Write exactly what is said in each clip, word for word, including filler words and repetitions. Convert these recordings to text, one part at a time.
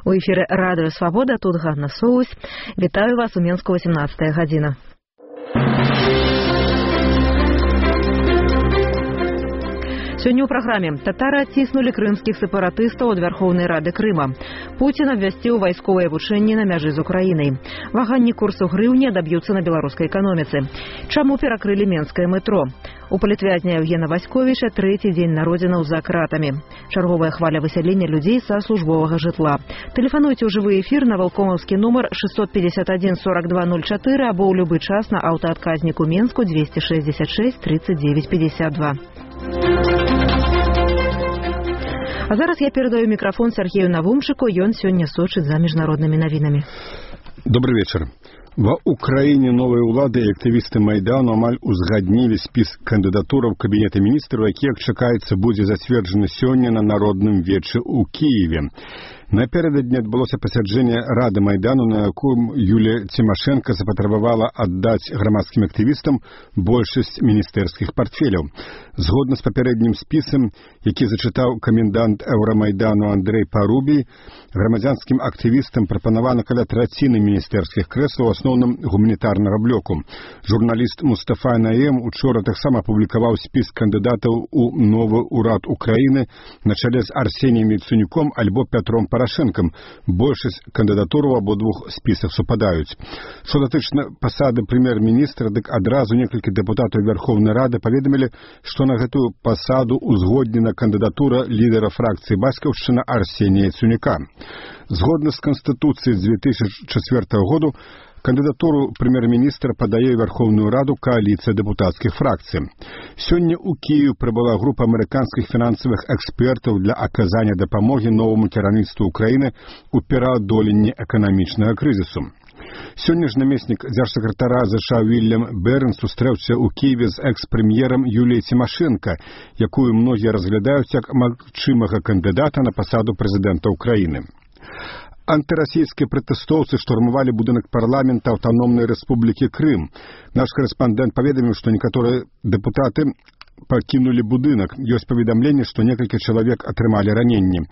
У эфіры радыё Свабода, тут Ганна Соусь. Вітаю вас у Менску, восемнадцатая гадзіна. Сёння ў праграме татары адціснулі крымскіх сепаратыстаў ад Вярхоўнай Рады Крыма. Пуцін абвясціў вайсковыя вучэнні на мяжы з Украінай. Ваганні курсу грыўні адаб'юцца на беларускай эканоміцы. Чаму перакрылі менскае метро? У палітвязня Евгена Васьковіча трэці дзень народзінаў за кратамі. Чарговая хваля высялення людзей са службовага жытла. Тэлефануйце ў жывы эфір на валкомаўскі нумар шестьсот пятьдесят один сорок два ноль четыре або ў любы час на аўтаадказніку Менску двести шестьдесят шесть тридцать девять пятьдесят два. А зараз я перадаю мікрафон Сергею Навумчыку, ён сёння сочыць за міжнароднымі навінамі. Добрый вечер. Ва Украіне новыя ўлады і актывісты Майдану амаль узгаднілі спіс кандыдатураў Кабінета міністраў, які, як чакаецца, будзе зацверджаны сёння на народным вечы ў Кіеве. Напердадні адбылося пасяджэнне Рады Майдану, на якім Юлія Цімашэнка запатрабавала аддаць грамадскім актывістам большасць міністэрскіх партфеляў. Згодна з папярэднім спісам, які зачытаў камендант Еўрамайдану Андрэй Парубій, грамадзянскім актывістам прапанавана каля траціны міністэрскіх крэслаў, у асноўным гуманітарнага блоку. Журналіст Мустафа Наем учора таксама апублікаваў спіс кандыдатаў у новы ўрад Украіны на чале з Арсеніем Яценюком альбо Пятром Парашэнкам. Большасць кандыдатураў у абодвух спісах супадаюць. Што датычна пасады прэм'ер-міністра, дык адразу некалькі дэпутатаў Верховнай Рады паведамілі, што на гэтую пасаду узгоднена кандыдатура лідара фракцыі Бацькаўшчына Арсенія Яценюка. Згодна з Канстытуцыяй две тысячи четвёртого году кандыдатуру прэм'ер-міністра падае Верховную Раду коаліцыя дэпутацкіх фракцый. Сёння ў Кіеў прыбыла група амерыканскіх фінансавых экспертаў для аказання дапамогі новаму кіраўніцтву Украіны ў пераадоленні эканамічнага крызісу. Сёння ж намеснік дзяржсакратара ЗША Вільям Берн сустрэўся ў Кіеве з экс-прэм'ерам Юліяй Цімашэнка, якую многія разглядаюць як магчымага кандыдата на пасаду прэзідэнта Украіны. Антырасійскія пратэстоўцы штурмавалі будынак парламента Аўтаномнай Рэспублікі Крым. Наш корэспандэнт паведаміў, што некаторыя дэпутаты пакінулі будынак. Ёсць паведамленне, што некалькі чалавек атрымалі раненні.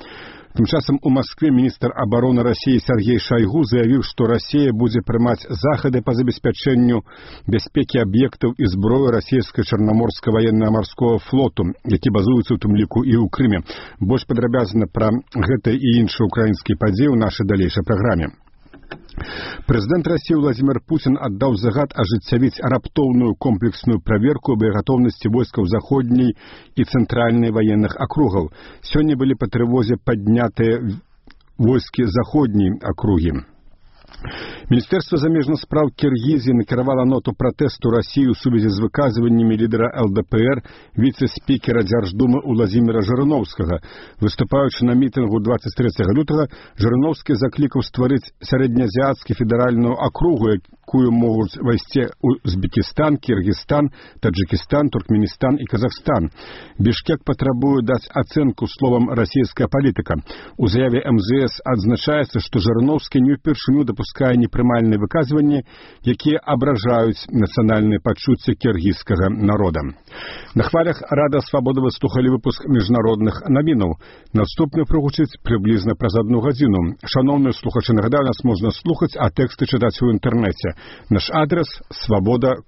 Тым часам у Маскве міністр абароны Расіі Сергей Шайгу заявіў, што Расія будзе прымаць захады па забеспячэнню бяспекі аб'ектаў і зброі расійскага чарнаморскага ваенна-марскога флоту, які базуюцца ў тым ліку і ў Крыме. Больш падрабязна пра гэта і іншыя украінскія падзеі ў нашай далейшай праграме. Прэзідэнт Расіі Владзімір Пуцін аддаў загад ажыццявіць раптоўную комплексную праверку боегатоўнасці войскаў заходняй і цэнтральнай ваенных акругаў. Сёння былі па трывозе паднятыя войскі заходняй акругі. Міністэрства замежных спраў Кіргізіі накіравала ноту пратэсту Расіі ў сувязі з выказваннямі лідара ЛДПР віцэ-спікера Дзярждумы Уладзіміра Жырыноўскага. Выступаючы на мітынгу двадцать трэцяга лютага, Жырыноўскі заклікаў стварыць сярэднеазіяцкі федэральную акругу, якую могуць вайсці Узбекістан, Кіргізстан, Таджикістан, Туркменістан і Казахстан. Бішкек патрабуе даць ацэнку словам расійская палітыка. У заяве эм зэ эс адзначаецца, што Жырыноўскі не ўпершыню дапускае непрымальныя выказванні, якія абражаюць нацыянальныя пачуцці кіргізскага народа. На хвалях Рада Свабода вы слухалі выпуск міжнародных навінаў. Наступны прагучыць прыблізна праз адну гадзіну. Шаноўныя слухачы, нагадаю, нас можна слухаць, а тэксты чытаць у інтэрнэце. Наш адрес свобода